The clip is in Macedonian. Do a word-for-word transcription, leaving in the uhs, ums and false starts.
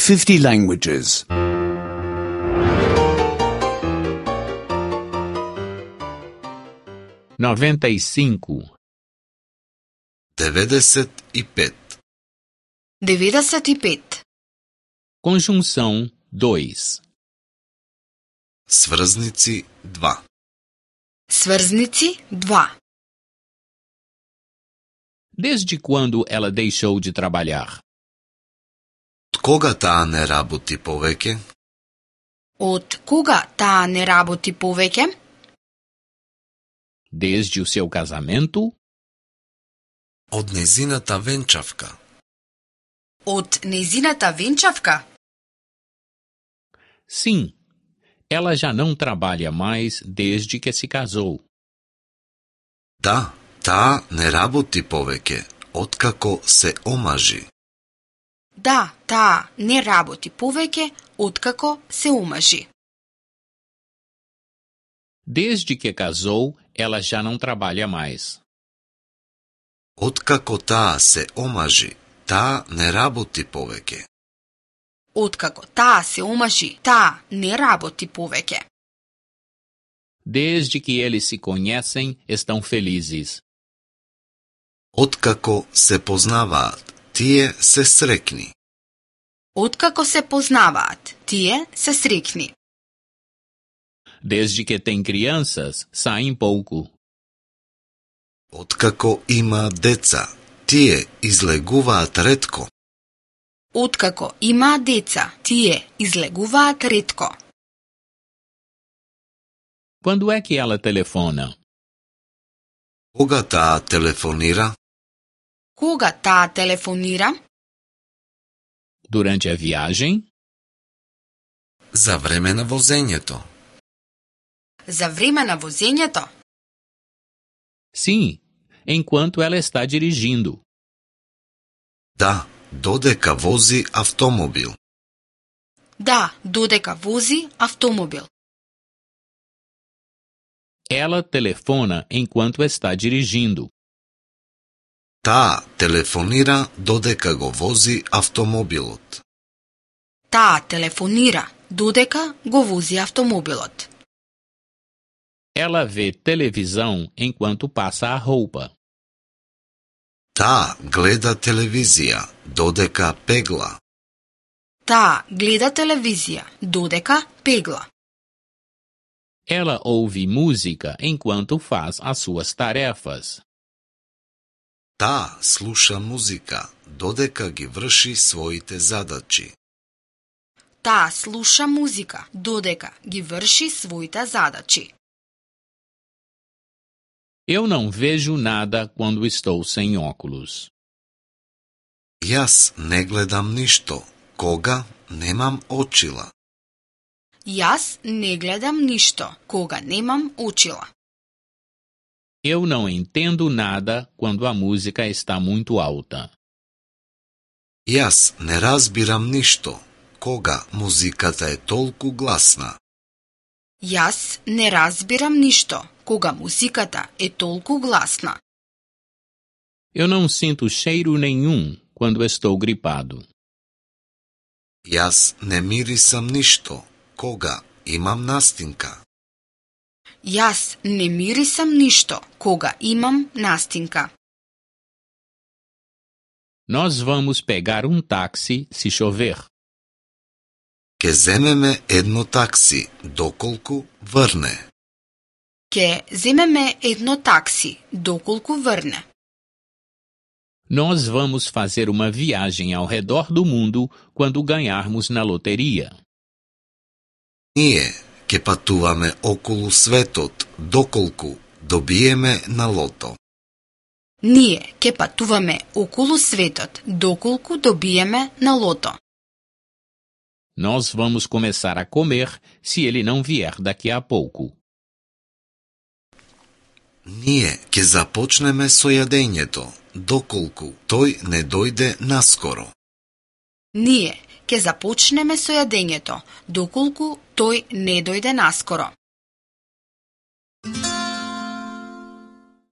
fifty languages. noventa e cinco. Devedeset и пет. деветдесет и пет. Conjunção dois. Сврзници два. Сврзници два. Desde quando ela deixou de trabalhar? Од кога таа не работи повеќе? Од кога таа не работи повеќе? Desde o seu casamento? Од незината венчавка. Од незината венчавка? Sim, ela já não trabalha mais desde que se casou. Да, таа не работи повеќе, откако се омажи. Да, таа не работи повеќе откако се омажи. Desde que casou, ela já não trabalha mais. Откако таа се омажи, таа не работи повеќе. Откако таа се омажи, таа не работи повеќе. Desde que eles se conhecem, estão felizes. Откако се познаваат, тие се срекни. Откако се познаваат, тие се срекни. Desde que têm crianças, saem pouco. Откако има деца, тие излегуваат ретко. Откако има деца, тие излегуваат ретко. Quando é que ela telefona? Кога таа телефонира? Кога таа телефонира? Durante a viagem? За време на возењето. За време на возењето? Sim, enquanto ela está dirigindo. Да, додека вози автомобил. Да, додека вози автомобил. Ela telefona enquanto está dirigindo. Таа телефонира додека го вози автомобилот. Таа телефонира додека го вози автомобилот. Ela vê televisão enquanto passa a roupa. Таа гледа телевизија додека пегла. Таа гледа телевизија додека пегла. Ela ouve música enquanto faz as suas tarefas. Таа слуша музика додека ги врши своите задачи. Таа слуша музика додека ги врши своите задачи. Eu não vejo nada quando estou sem óculos. Јас не гледам ништо кога немам очила. Јас не гледам ништо кога немам очила. Eu não entendo nada quando a música está muito alta. Јас не разбирам ништо кога музиката е толку гласна. Јас не разбирам ништо кога музиката е толку гласна. Eu não sinto cheiro nenhum quando estou gripado. Јас не мирисам ништо кога имам настинка. Јас не мирисам ништо кога имам настинка. Nós vamos pegar um táxi se chover. Ке земеме едно такси доколку врне. Ке земеме едно такси доколку врне. Nós vamos fazer uma viagem ao redor do mundo quando ganharmos na loteria. Ние ке патуваме околу светот доколку добиеме на лото. Ние ке патуваме околу светот доколку добиеме на лото. Nós vamos começar a comer se ele não vier daqui a pouco. Ние ке започнеме со јадењето доколку тој не дојде наскоро. Ние ке започнеме со јадењето доколку тој не дојде наскоро.